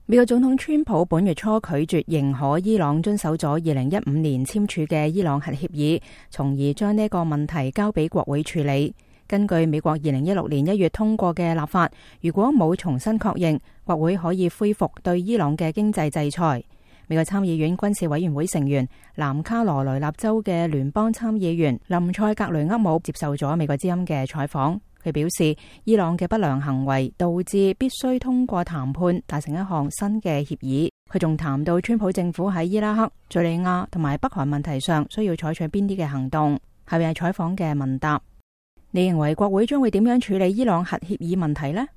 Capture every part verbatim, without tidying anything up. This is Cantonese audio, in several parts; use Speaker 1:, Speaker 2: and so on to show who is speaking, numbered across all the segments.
Speaker 1: 美國總統川普本月初拒絕認可伊朗遵守咗二零一五年簽署嘅伊朗核協議，從而將呢個問題交俾國會處理。根據美國二零一六年一月通過嘅立法，如果冇重新確認，國會可以恢復對伊朗嘅經濟制裁。美國參議院軍事委員會成員、南卡羅來納州嘅聯邦參議員林塞格雷厄姆接受咗美國之音嘅採訪。佢表示，伊朗嘅不良行為導致必須通過談判達成一項新嘅協議。佢仲談到川普政府喺伊拉克、敘利亞同埋北韓問題上需要採取邊啲嘅行動。下面係採訪嘅問答。你認為國會將會點樣處理伊朗核協議問題呢？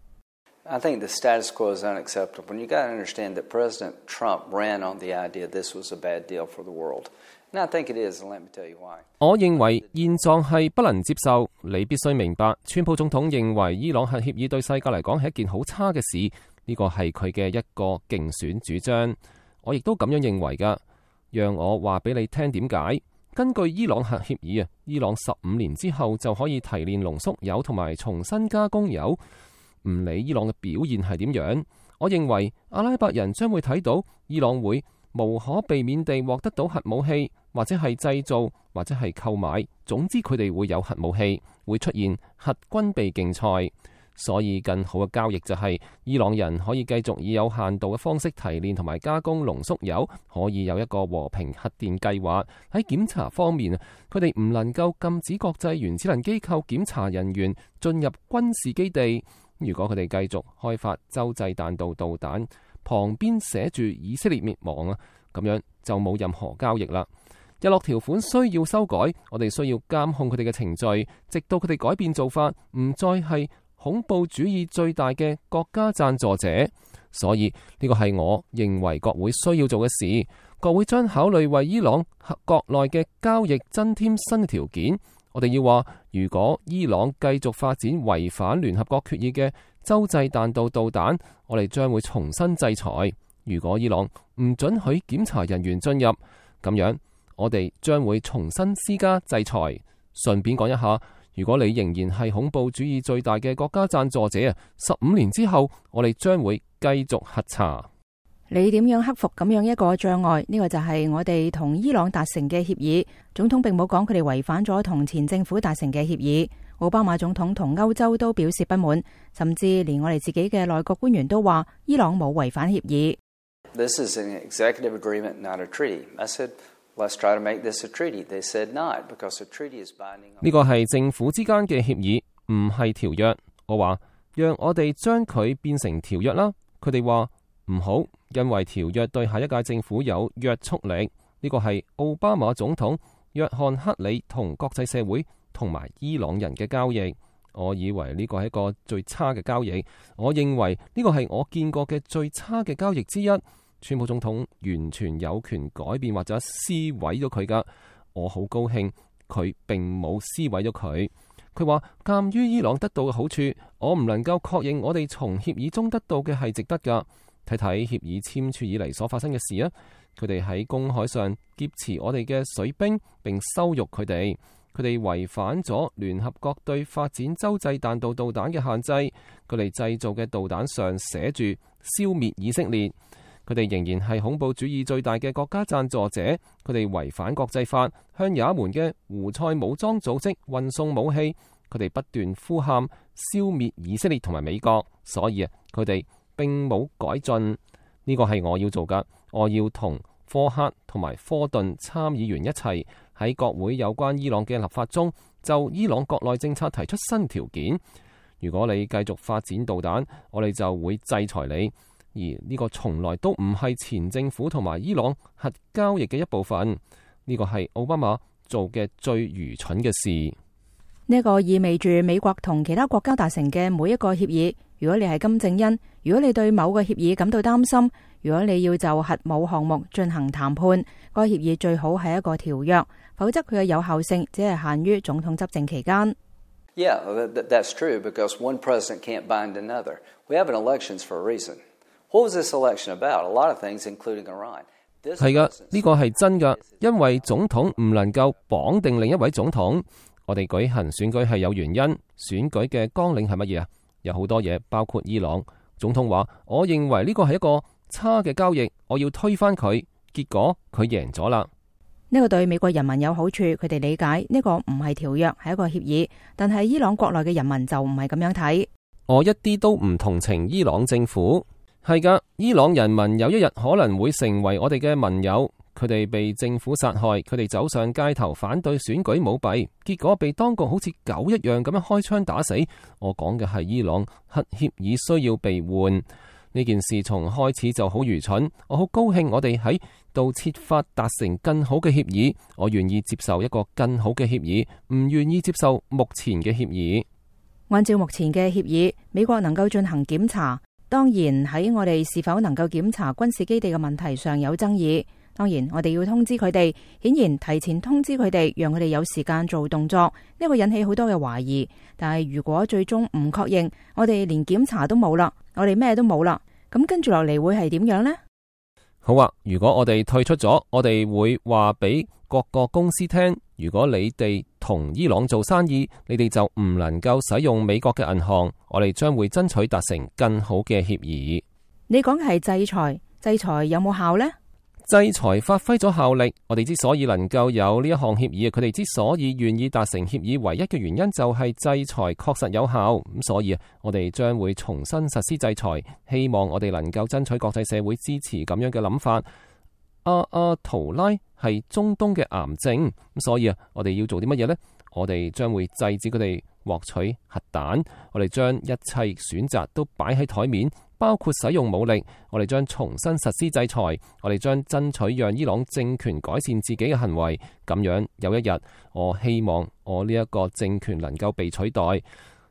Speaker 2: I think the status quo is unacceptable. And you got to understand that President Trump ran on the idea this was a bad deal for the world. And I think it is, and let me tell you why.
Speaker 3: 我認為現狀係不能接受。你必須明白，川普總統認為伊朗核協議對世界嚟講係一件好差嘅事，呢個係佢嘅一個競選主張。我亦都咁樣認為㗎。讓我話俾你聽點解。根據伊朗核協議啊，伊朗十五年之後就可以提煉濃縮鈾同埋重新加工鈾。唔理伊朗嘅表現係點樣，我認為阿拉伯人將會睇到伊朗會無可避免地獲得到核武器，或者係製造，或者係購買。總之佢哋會有核武器，會出現核軍備競賽。所以更好嘅交易就係伊朗人可以繼續以有限度嘅方式提煉同埋加工濃縮鈾，可以有一個和平核電計劃。喺檢查方面，佢哋唔能夠禁止國際原子能機構檢查人員進入軍事基地。如果佢哋繼續開發洲際彈道導彈，旁邊寫住以色列滅亡啊，咁樣就冇任何交易啦。日落條款需要修改，我哋需要監控佢哋嘅程序，直到佢哋改變做法，唔再係恐怖主義最大嘅國家贊助者。所以呢個係我認為國會需要做嘅事。國會將考慮為伊朗國內嘅交易增添新嘅條件。我哋要話，如果伊朗繼續發展違反聯合國決議嘅洲際彈道導彈，我哋將會重新制裁。如果伊朗唔准許檢查人員進入，咁樣我哋將會重新施加制裁。順便講一下，如果你仍然係恐怖主義最大嘅國家贊助者啊，十五年之後我哋將會繼續核查。
Speaker 1: 你點樣克服咁樣一個障礙？呢個就係我哋同伊朗達成嘅協議。總統並冇講佢哋違反咗同前政府達成嘅協議。奧巴馬總統同歐洲都表示不滿，甚至連我哋自己嘅內閣官員都話伊朗冇違反協議。
Speaker 2: This is an executive agreement, not a treaty. I said, let's try to make this a treaty. They said not, because a treaty is binding.
Speaker 3: 呢個係政府之間嘅協議，唔係條約。我話讓我哋將佢變成條約啦。佢哋話唔好。因為條約對下一屆政府有約束力，呢個係奧巴馬總統、約翰克里同國際社會同埋伊朗人嘅交易。我以為呢個係一個最差嘅交易，我認為呢個係我見過嘅最差嘅交易之一。川普總統完全有權改變或者撕毀咗佢噶，我好高興佢並冇撕毀咗佢。佢話鑒於伊朗得到嘅好處，我唔能夠確認我哋從協議中得到嘅係值得噶。睇睇協議簽署以嚟所發生嘅事啊！佢哋喺公海上劫持我哋嘅水兵，並羞辱佢哋。佢哋違反咗聯合國對發展洲際彈道導彈嘅限制。佢哋製造嘅導彈上寫住消滅以色列。佢哋仍然係恐怖主義最大嘅國家贊助者。佢哋違反國際法，向也門嘅胡塞武裝組織運送武器。佢哋不斷呼喊消滅以色列同埋美國。所以啊，佢哋並冇改進。呢個係我要做㗎。我要同科克同埋科頓參議員一齊喺國會有關伊朗嘅立法中，就伊朗國內政策提出新條件。如果你繼續發展導彈，我哋就會制裁你。而呢個從來都唔係前政府同埋伊朗核交易嘅一部分。呢個係奧巴馬做嘅最愚蠢嘅事。
Speaker 1: 呢個意味住美國同其他國家達成嘅每一個協議，如果你係金正恩，如果你對某個協議感到擔心，如果你要就核武項目進行談判，該協議最好係一個條約，否則佢嘅有效性只係限於總統執政期間。
Speaker 2: Yeah, that's true, because one president can't bind another. We have an elections for a reason. What was this election about? A lot of things, including Iran.
Speaker 3: 係噶，呢個係真噶，因為總統唔能夠綁定另一位總統。我哋舉行選舉係有原因，選舉嘅綱領係乜嘢啊？有好多嘢，包括伊朗。總統話：我認為呢個係一個差嘅交易，我要推翻佢。結果佢贏咗啦。
Speaker 1: 呢個對美國人民有好處，佢哋理解呢個唔係條約，係一個協議。但係伊朗國內嘅人民就唔係咁樣睇。
Speaker 3: 我一啲都唔同情伊朗政府。係噶，伊朗人民有一日可能會成為我哋嘅盟友。佢哋被政府殺害，佢哋走上街頭反對選舉舞弊，結果被當局好似狗一樣咁樣開槍打死。我講嘅係伊朗核協議需要被換。呢件事從開始就好愚蠢。我好高興我哋喺度設法達成更好嘅協議。我願意接受一個更好嘅協議，唔願意接受目前嘅協議。
Speaker 1: 按照目前嘅協議，美國能夠進行檢查。當然喺我哋是否能夠檢查軍事基地嘅問題上有爭議。當然我哋要通知佢哋，顯然提前通知佢哋，讓佢哋有時間做動作。呢個引起好多嘅懷疑。但係如果最終唔確認，我哋連檢查都冇啦，我哋咩都冇啦，咁跟住落嚟會係點樣呢？
Speaker 3: 好啊，如果我哋退出咗，我哋會話俾各個公司聽，如果你哋同伊朗做生意，你哋就唔能夠使用美國嘅銀行。我哋將會爭取達成更好嘅協議。
Speaker 1: 你講嘅係制裁，制裁有冇效呢？
Speaker 3: 制裁發揮咗效力。我哋之所以能夠有呢一項協議，佢哋之所以願意達成協議，唯一嘅原因就係制裁確實有效。咁所以啊，我哋將會重新實施制裁，希望我哋能夠爭取國際社會支持咁樣嘅諗法。阿阿圖拉係中東嘅癌症，咁所以啊，我哋要做啲乜嘢呢？我哋將會制止佢哋獲取核彈。我哋將一切選擇都擺喺台面，包括使用武力。我哋將重新實施制裁。我哋將爭取讓伊朗政權改善自己嘅行為。咁樣有一日，我希望我呢一個政權能夠被取代。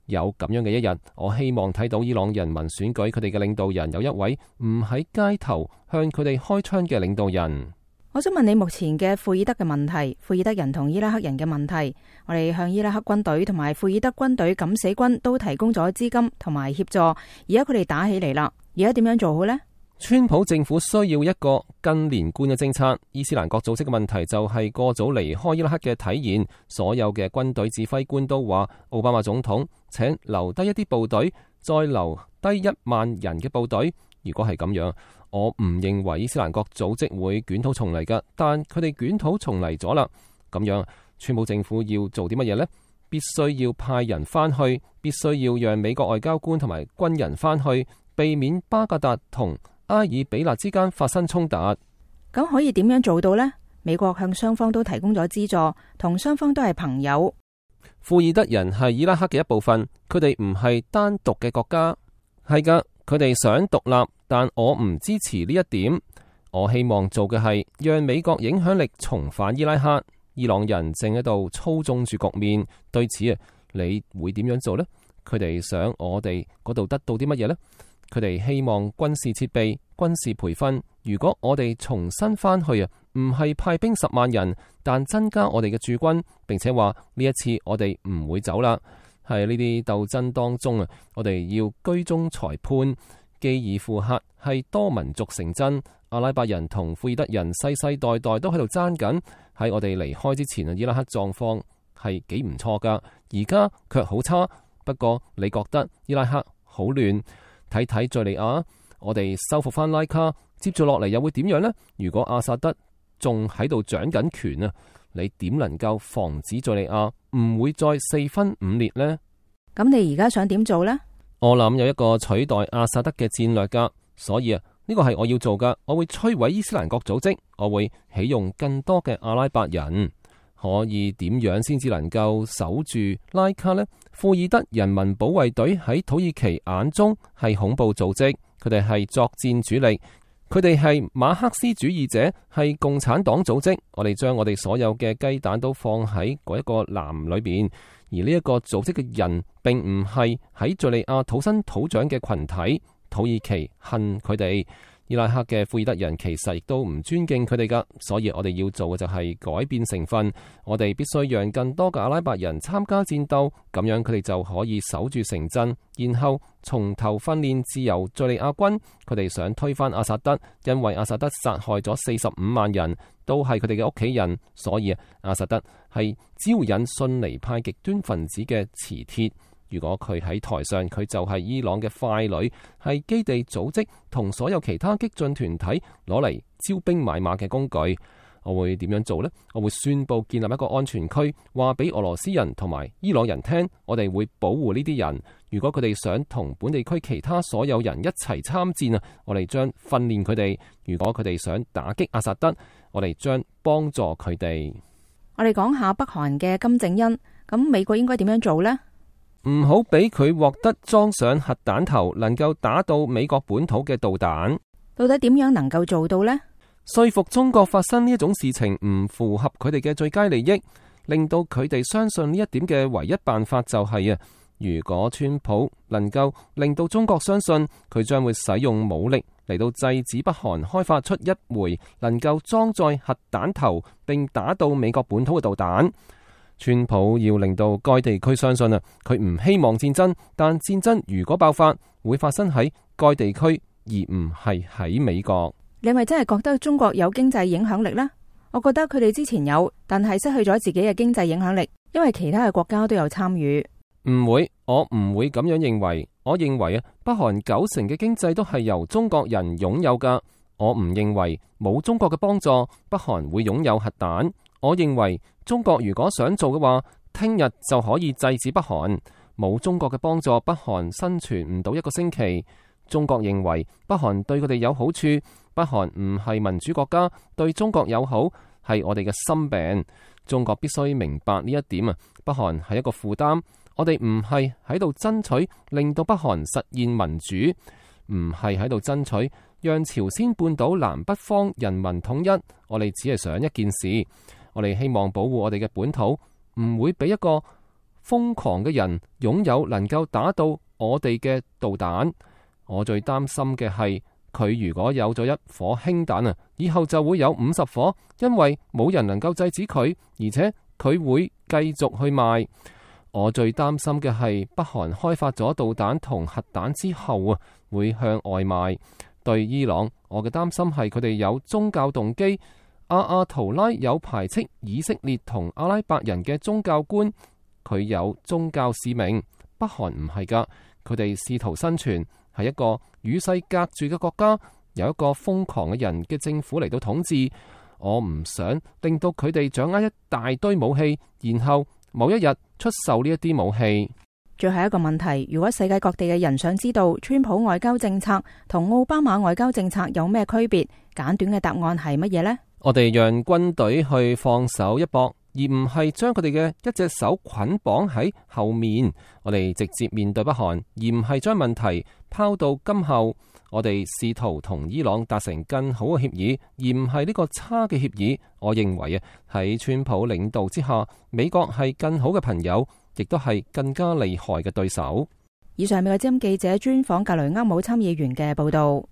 Speaker 3: 有咁樣嘅一日，我希望睇到伊朗人民選舉佢哋嘅領導人，有一位唔喺街頭向佢哋開槍嘅領導人。
Speaker 1: 我想問你目前嘅庫爾德嘅問題，庫爾德人同伊拉克人嘅問題。我哋向伊拉克軍隊同埋庫爾德軍隊敢死軍都提供咗資金同埋協助，而家佢哋打起嚟啦。而家點樣做好呢？
Speaker 3: 川普政府需要一個更連貫嘅政策。伊斯蘭國組織嘅問題就係過早離開伊拉克嘅體現。所有嘅軍隊指揮官都話，奧巴馬總統請留低一啲部隊，再留低一萬人嘅部隊。如果係咁樣，我唔認為伊斯蘭國組織會捲土重嚟㗎，但佢哋捲土重嚟咗啦。咁樣，川普政府要做啲乜嘢呢？必須要派人翻去，必須要讓美國外交官同埋軍人翻去，避免巴格達同埃爾比納之間發生衝突。
Speaker 1: 咁可以點樣做到呢？美國向雙方都提供咗資助，同雙方都係朋友。
Speaker 3: 庫爾德人係伊拉克嘅一部分，佢哋唔係單獨嘅國家。係噶，佢哋想獨立，但我唔支持呢一點。我希望做嘅係讓美國影響力重返伊拉克。伊朗人正喺度操縱住局面，對此啊，你會點樣做呢？佢哋想我哋嗰度得到啲乜嘢呢？佢哋希望軍事設備、軍事培訓。如果我哋重新翻去啊，唔係派兵十萬人，但增加我哋嘅駐軍，並且話呢一次我哋唔會走啦。喺呢啲鬥爭當中啊，我哋要居中裁判。基爾庫克係多民族城鎮，阿拉伯人同庫爾德人世世代代都喺度爭緊。喺我哋離開之前啊，伊拉克狀況係幾唔錯噶，而家卻好差。不過你覺得伊拉克好亂？睇睇敘利亞，我哋收復翻拉卡，接住落嚟又會點樣呢？如果阿薩德仲喺度掌緊權啊，你點能夠防止敘利亞唔會再四分五裂呢？
Speaker 1: 咁你而家想點做呢？
Speaker 3: 我諗有一個取代阿薩德嘅戰略噶，所以啊，呢個係我要做噶。我會摧毀伊斯蘭國組織，我會起用更多嘅阿拉伯人。可以點樣先至能夠守住拉卡呢？庫爾德人民保衛隊喺土耳其眼中係恐怖組織，佢哋係作戰主力，佢哋係馬克思主義者，係共產黨組織。我哋將我哋所有嘅雞蛋都放喺嗰一個籃裏邊，而呢一個組織嘅人並唔係喺敘利亞土生土長嘅群體。土耳其恨佢哋，伊拉克嘅庫爾德人其實亦都唔尊敬佢哋噶，所以我哋要做嘅就係改變成分。我哋必須讓更多嘅阿拉伯人參加戰鬥，咁樣佢哋就可以守住城鎮，然後從頭訓練自由敘利亞軍。佢哋想推翻阿薩德，因為阿薩德殺害咗四十五萬人，都係佢哋嘅屋企人，所以阿薩德係招引遜尼派極端分子嘅磁鐵。如果佢喺台上，佢就係伊朗嘅傀儡，係基地組織同所有其他激進團體攞嚟招兵買馬嘅工具。我會點樣做呢？我會宣佈建立一個安全區，話俾俄羅斯人同埋伊朗人聽，我哋會保護呢啲人。如果佢哋想同本地區其他所有人一齊參戰啊，我哋將訓練佢哋。如果佢哋想打擊阿薩德，我哋將幫助佢哋。
Speaker 1: 我哋講下北韓嘅金正恩，咁美國應該點樣做呢？
Speaker 3: 唔好俾佢獲得裝上核彈頭，能夠打到美國本土嘅導彈。
Speaker 1: 到底點樣能夠做到呢？
Speaker 3: 說服中國發生呢一種事情唔符合佢哋嘅最佳利益，令到佢哋相信呢一點嘅唯一辦法就係啊，如果川普能夠令到中國相信佢將會使用武力嚟到制止北韓開發出一枚能夠裝載核彈頭並打到美國本土嘅導彈，川普要令到該地區相信啊，佢唔希望戰爭，但戰爭如果爆發會發生喺該地區而唔係喺美國。
Speaker 1: 你係咪真係覺得中國有經濟影響力呢？我覺得佢哋之前有，但係失去咗自己嘅經濟影響力，因為其他嘅國家都有參與。
Speaker 3: 唔會，我唔會咁樣認為。我認為啊，北韓九成嘅經濟都係由中國人擁有噶。我唔認為冇中國嘅幫助，北韓會擁有核彈。我認為中國如果想做嘅話，聽日就可以制止北韓。冇中國嘅幫助，北韓生存唔到一個星期。中國認為北韓對佢哋有好處，北韓唔係民主國家，對中國友好係我哋嘅心病。中國必須明白呢一點啊！北韓係一個負擔，我哋唔係喺度爭取令到北韓實現民主，唔係喺度爭取讓朝鮮半島南北方人民統一。我哋只係想一件事，我哋希望保護我哋嘅本土，唔會俾一個瘋狂嘅人擁有能夠打到我哋嘅導彈。我最擔心嘅係佢如果有咗一顆氫彈啊，以後就會有五十顆，因為冇人能夠制止佢，而且佢會繼續去賣。我最擔心嘅係北韓開發咗導彈同核彈之後啊，會向外賣。對伊朗，我嘅擔心係佢哋有宗教動機。阿亞圖拉有排斥以色列同阿拉伯人嘅宗教觀，佢有宗教使命。北韓唔係噶，佢哋試圖生存。係一個與世隔絕嘅國家，有一個瘋狂嘅人嘅政府嚟到統治。我唔想令到佢哋掌握一大堆武器，然後某一日出售呢一啲武器。
Speaker 1: 最後一個問題，如果世界各地嘅人想知道川普外交政策同奧巴馬外交政策有咩區別，簡短嘅答案係乜嘢呢？
Speaker 3: 我哋讓軍隊去放手一搏，而唔係將佢哋嘅一隻手捆綁喺後面。我哋直接面對北韓，而唔係將問題拋到今後。我哋試圖同伊朗達成更好嘅協議，而唔係呢個差嘅協議。我認為啊，喺川普領導之下，美國係更好嘅朋友，亦都係更加厲害嘅對手。
Speaker 1: 以上美國之音記者專訪格雷厄姆參議員嘅報道。